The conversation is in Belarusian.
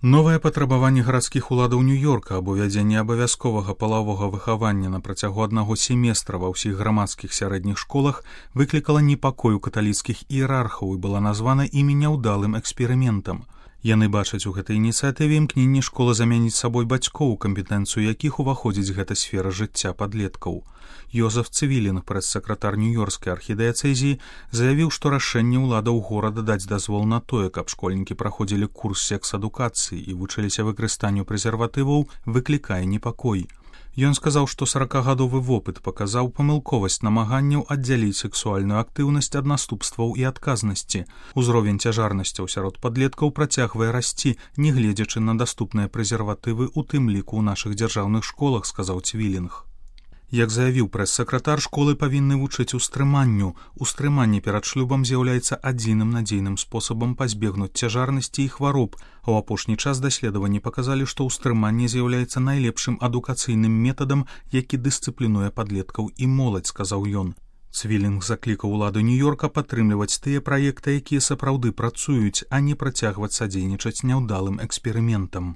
Новае патрабаванне гарадскіх уладаў Нью-Йорка аб увядзенні абавязковага палавога выхавання на працягу аднаго семестра ва ўсіх грамадскіх сярэдніх школах выклікала непакой у каталіцкіх іерархаў і была названа імі няўдалым эксперыментам. Яны бачаць у гэтай ініцыятыве імкненне школы замяніць сабой бацькоў, кампетэнцыю якіх уваходзіць гэта сфера жыцця падлеткаў. Йозеф Цвілінг, прэс-сакратар Нью-Йоркскай архідыяцэзіі, заявіў, што рашэнне ўладаў горада даць дазвол на тое, каб школьнікі праходзілі курс секс-адукацыі і вучыліся выкарыстанню прэзерватываў, выклікае непакой. Ён сказаў, што 40гадовы вопыт паказаў памылковасць намаганняў аддзяліць сексуальную актыўнасць ад наступстваў і адказнасці. Узровень цяжарнасцяў сярод падлеткаў працягвае расці, нягледзячы на даступныя прэзерватывы, у тым ліку ў нашых дзяржаўных школах, сказаў Цвілінг. Як заявіў прэс-сакратар, школы павінны вучыць устрыманню. Устрыманне перад шлюбам з'яўляецца адзіным надзейным спосабам пазбегнуць цяжарнасці і хвароб, а ў апошні час даследаванні паказалі, што ўстрыманне з'яўляецца найлепшым адукацыйным метадам, які дысцыплінуе падлеткаў і моладзь, сказаў ён. Цвілінг заклікаў уладу Нью-Йорка падтрымліваць тыя праекты, якія сапраўды працуюць, а не працягваць садзейнічаць няўдалым эксперыментам.